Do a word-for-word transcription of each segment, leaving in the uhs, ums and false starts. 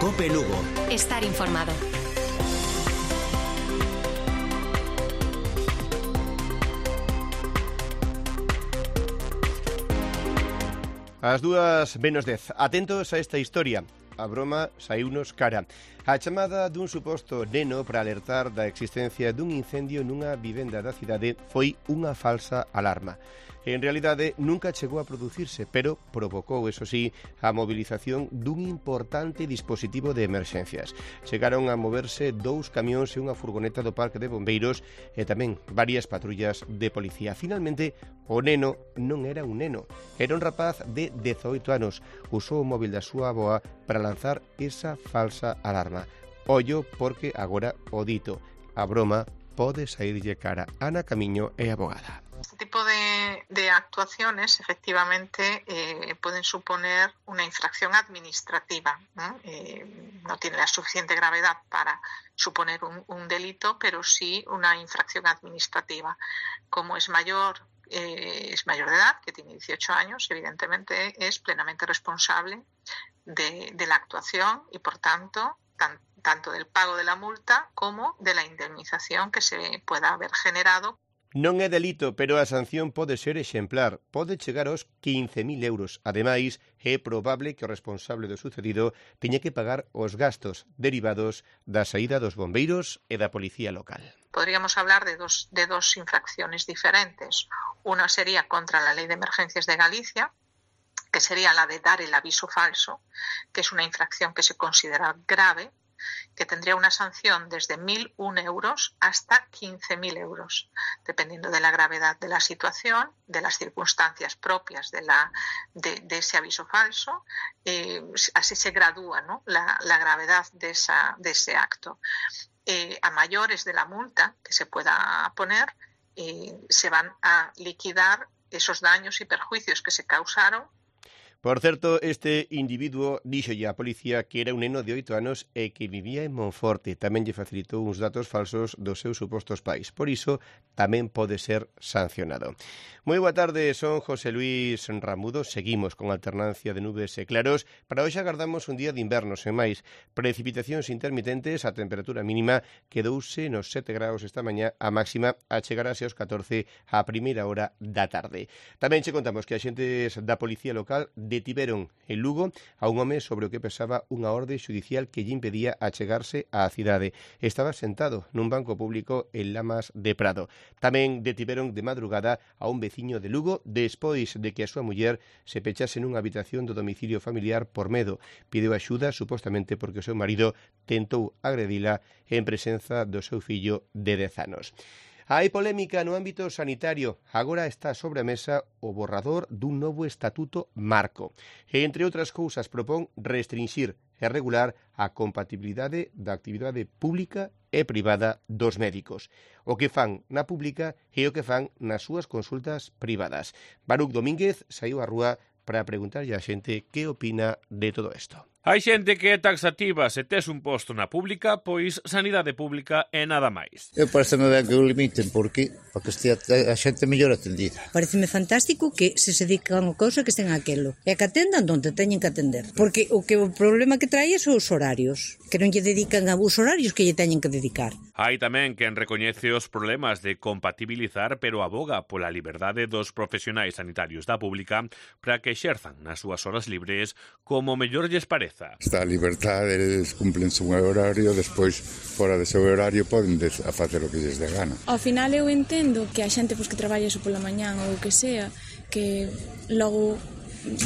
Cope Lugo. Estar informado. As dúas menos dez. Atentos a esta historia. A broma saiunos cara. A chamada dun suposto neno para alertar da existencia dun incendio nunha vivenda da cidade foi unha falsa alarma. En realidade, nunca chegou a producirse, pero provocou, eso sí, a movilización dun importante dispositivo de emerxencias. Chegaron a moverse dous camións e unha furgoneta do parque de bombeiros e tamén varias patrullas de policía. Finalmente, o neno non era un neno, era un rapaz de dezoito anos. Usou o móvil da súa avoa para lanzar esa falsa alarma. Ollo porque agora o dito, a broma pode saírlle cara. Ana Camiño é abogada. Este tipo de, de actuaciones efectivamente eh, pueden suponer una infracción administrativa, ¿no? Eh, no tiene la suficiente gravedad para suponer un, un delito, pero sí una infracción administrativa. Como es mayor, eh, es mayor de edad, que tiene dieciocho años, evidentemente es plenamente responsable de, de la actuación y, por tanto, tan, tanto del pago de la multa como de la indemnización que se pueda haber generado. Non é delito, pero a sanción pode ser exemplar. Pode chegar aos quince mil euros. Ademais, é probable que o responsable do sucedido teña que pagar os gastos derivados da saída dos bombeiros e da policía local. Podríamos hablar de dos, de dos infracciones diferentes. Una sería contra la Ley de Emergencias de Galicia, que sería la de dar el aviso falso, que es una infracción que se considera grave, que tendría una sanción desde mil un euros hasta quince mil euros, dependiendo de la gravedad de la situación, de las circunstancias propias de, la, de, de ese aviso falso. Eh, así se gradúa, ¿no?, la, la gravedad de, esa, de ese acto. Eh, a mayores de la multa que se pueda poner, eh, se van a liquidar esos daños y perjuicios que se causaron. Por certo, este individuo díxolle á policía que era un neno de oito anos e que vivía en Monforte. Tamén lle facilitou uns datos falsos dos seus supostos pais. Por iso, tamén pode ser sancionado. Moi boa tarde, son José Luis Ramudo. Seguimos con alternancia de nubes e claros. Para hoxe agardamos un día de inverno, sen máis. Precipitacións intermitentes, a temperatura mínima quedouse nos sete graus esta mañá, a máxima achegarase aos catorce a primeira hora da tarde. Tamén che contamos que a xentes da Policía Local detiveron en Lugo a un home sobre o que pesaba unha orde xudicial que lle impedía achegarse á cidade. Estaba sentado nun banco público en Lamas de Prado. Tamén detiveron de madrugada a un veciño de Lugo despois de que a súa muller se pechase nunha habitación do domicilio familiar por medo. Pideu axuda supostamente porque o seu marido tentou agredila en presenza do seu fillo de dez anos. Hai polémica no ámbito sanitario. Agora está sobre a mesa o borrador dun novo estatuto marco. E, entre outras cousas, propón restringir e regular a compatibilidade da actividade pública e privada dos médicos. O que fan na pública e o que fan nas súas consultas privadas. Baruch Domínguez saiu á rúa para preguntarlle á xente que opina de todo isto. Hai xente que é taxativa. Se tes un posto na pública, pois sanidade pública é nada máis. Eu pareceme ben que o limiten, porque para que estea a xente mellor atendida. Pareceme fantástico que se se dedican a cousa que estén aquelo. E que atendan onde teñen que atender. Porque o que o problema que trae son os horarios. Que non lle dedican a os horarios que lle teñen que dedicar. Hai tamén quen recoñece os problemas de compatibilizar, pero aboga pola liberdade dos profesionais sanitarios da pública para que exerzan nas súas horas libres como mellor lles pareza. Está a liberdade, eles cumplen un horario, despois, fora de seu horario, poden a facer o que lles dé gana. Ao final eu entendo que a xente pois, que traballa iso pola mañán ou o que sea, que logo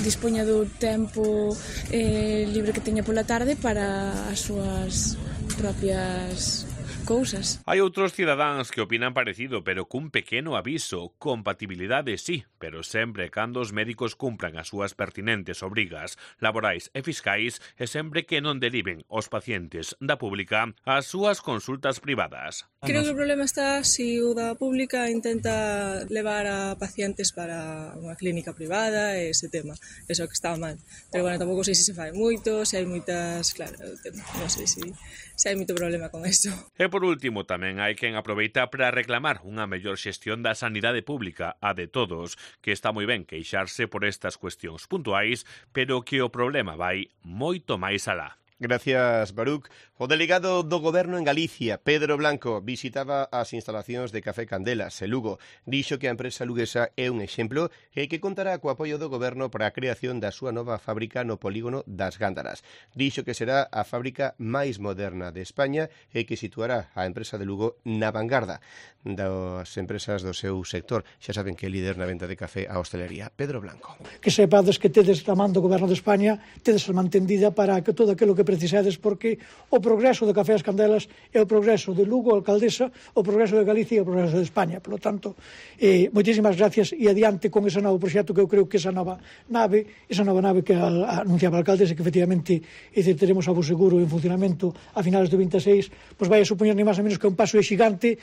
dispoña do tempo eh, libre que teña pola tarde para as súas propias cousas. Hai outros cidadáns que opinan parecido, pero cun pequeno aviso. Compatibilidade sí, pero sempre cando os médicos cumpran as súas pertinentes obrigas laborais e fiscais e sempre que non deriven os pacientes da pública ás súas consultas privadas. Creo que o problema está se o da pública intenta levar a pacientes para unha clínica privada e ese tema. Eso que está mal. Pero bueno, tampouco sei se se fai moito, se hai moitas... Claro, non sei se, se hai moito problema con eso. E por último, tamén hai quen aproveita para reclamar unha mellor xestión da sanidade pública, a de todos, que está moi ben queixarse por estas cuestións puntuais, pero que o problema vai moito máis alá. Gracias, Baruch. O delegado do Goberno en Galicia, Pedro Blanco, visitaba as instalacións de Café Candelas, en Lugo. Dixo que a empresa luguesa é un exemplo e que contará co apoio do Goberno para a creación da súa nova fábrica no polígono das Gándaras. Dixo que será a fábrica máis moderna de España e que situará a empresa de Lugo na vanguarda das empresas do seu sector. Xa saben que é líder na venta de café a hostelería. Pedro Blanco. Que sepades que tedes a man do Goberno de España, tedes a mantendida para que todo aquilo que precisades, porque o progreso de Café as Candelas é o progreso de Lugo, alcaldesa, o progreso de Galicia e o progreso de España. Por lo tanto, eh, moitísimas gracias e adiante con ese novo proxecto, que eu creo que esa nova nave, esa nova nave que a, anunciaba a alcaldesa, que efectivamente é dicir, teremos a Seguro en funcionamento a finales do vinte e seis, pois vai a supoñer ni máis ou menos que un paso xigante.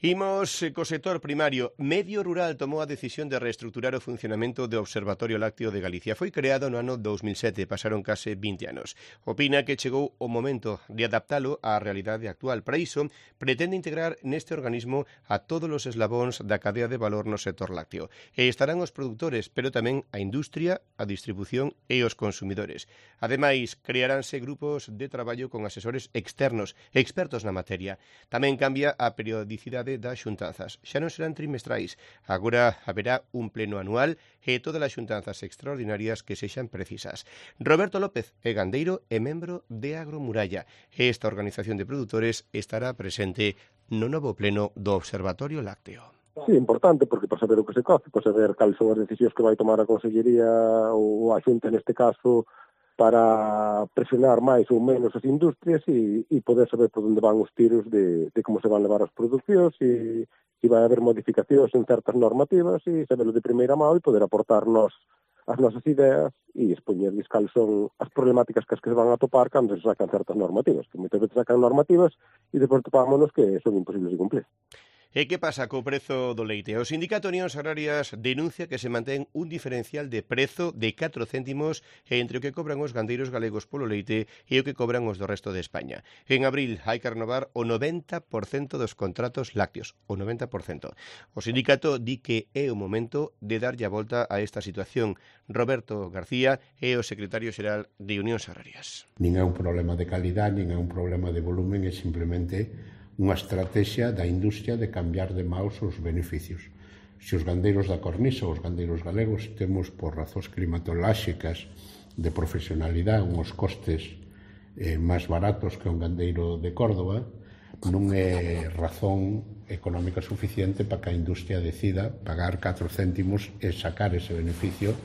Imos co sector primario. Medio Rural tomou a decisión de reestructurar o funcionamento do Observatorio Lácteo de Galicia. Foi creado no ano dos mil sete, pasaron case vinte anos. Opina que chegou o momento de adaptalo á realidade actual. Para iso, pretende integrar neste organismo a todos os eslabóns da cadea de valor no sector lácteo. E estarán os produtores, pero tamén a industria, a distribución e os consumidores. Ademais, crearánse grupos de traballo con asesores externos, expertos na materia. Tamén cambia a periodicidade das xuntanzas. Xa non serán trimestrais. Agora haberá un pleno anual e todas as xuntanzas extraordinarias que sexan precisas. Roberto López é gandeiro e membro de Agromuralla. Esta organización de produtores estará presente no novo pleno do Observatorio Lácteo. Sí, importante, porque para saber o que se coce, para saber cales son as decisións que vai tomar a Consellería ou a Xunta neste caso, para presionar máis ou menos as industrias e, e poder saber por onde van os tiros de, de como se van levar as producións e se vai haber modificacións en certas normativas e saberlo de primeira mão e poder aportarnos as nosas ideas e expoñerles cales son as problemáticas que as que se van a topar cando se sacan certas normativas, que moitas veces sacan normativas e depois topámonos que son imposibles de cumplir. E que pasa co prezo do leite? O Sindicato Unións Agrarias denuncia que se mantén un diferencial de prezo de catro céntimos entre o que cobran os gandeiros galegos polo leite e o que cobran os do resto de España. En abril hai que renovar o noventa por cento dos contratos lácteos, o noventa por cento. O sindicato di que é o momento de darlle a volta a esta situación. Roberto García é o secretario xeral de Unións Agrarias. Nin é un problema de calidad, nin é un problema de volumen, é simplemente unha estrategia da industria de cambiar de maus os beneficios. Se os gandeiros da cornisa, os gandeiros galegos, temos por razóns climatolóxicas de profesionalidade uns costes eh, máis baratos que un gandeiro de Córdoba, non é razón económica suficiente para que a industria decida pagar catro céntimos e sacar ese beneficio.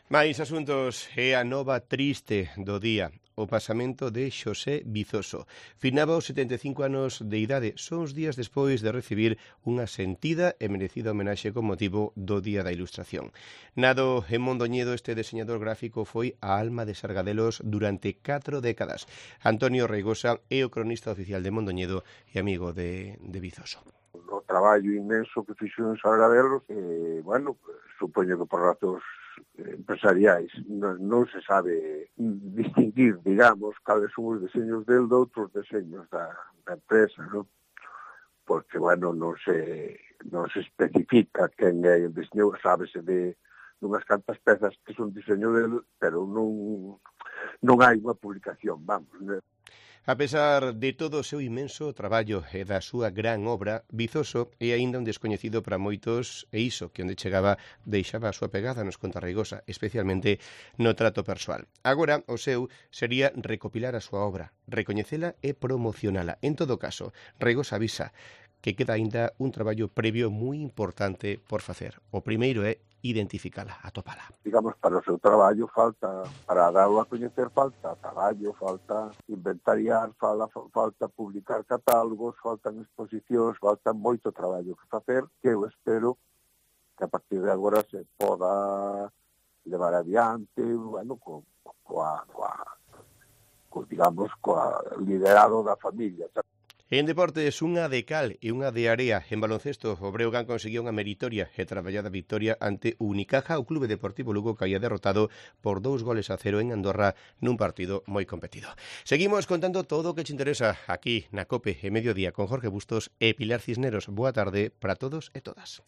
Mais asuntos é a nova triste do día. O pasamento de Xosé Vizoso. Finaba os setenta e cinco anos de idade, son os días despois de recibir unha sentida e merecida homenaxe con motivo do Día da Ilustración. Nado en Mondoñedo, este diseñador gráfico foi a alma de Sargadelos durante catro décadas. Antonio Reigosa é o cronista oficial de Mondoñedo e amigo de, de Vizoso. O traballo inmenso que fixo en Sargadelos, eh, bueno, supoño que por razóns empresariais non, non se sabe distinguir, digamos, cales son os deseños del de outros deseños da, da empresa, non? Porque, bueno, non se, non se especifica quen é o diseño, sábese de unhas cantas pezas que son diseño del, pero non, non hai unha publicación, vamos, non? A pesar de todo o seu inmenso traballo e da súa gran obra, Vizoso é aínda un descoñecido para moitos e iso que onde chegaba deixaba a súa pegada, nos conta Reigosa, especialmente no trato persoal. Agora, o seu sería recopilar a súa obra, recoñecela e promocionala. En todo caso, Reigosa avisa que queda aínda un traballo previo moi importante por facer. O primeiro é identificala, atopala. Digamos, para o seu traballo falta, para darlo a coñecer, falta traballo, falta inventariar, falta, falta publicar catálogos, faltan exposicións, falta moito traballo que facer, que eu espero que a partir de agora se poda levar adiante, bueno, co, coa, coa, co, digamos, coa liderado da familia. En deportes, unha de cal e unha de area. En baloncesto, o Breogán conseguiu unha meritoria e traballada victoria ante o Unicaja. O Clube Deportivo Lugo caía derrotado por dous goles a cero en Andorra nun partido moi competido. Seguimos contando todo o que te interesa aquí na COPE e Mediodía con Jorge Bustos e Pilar Cisneros. Boa tarde para todos e todas.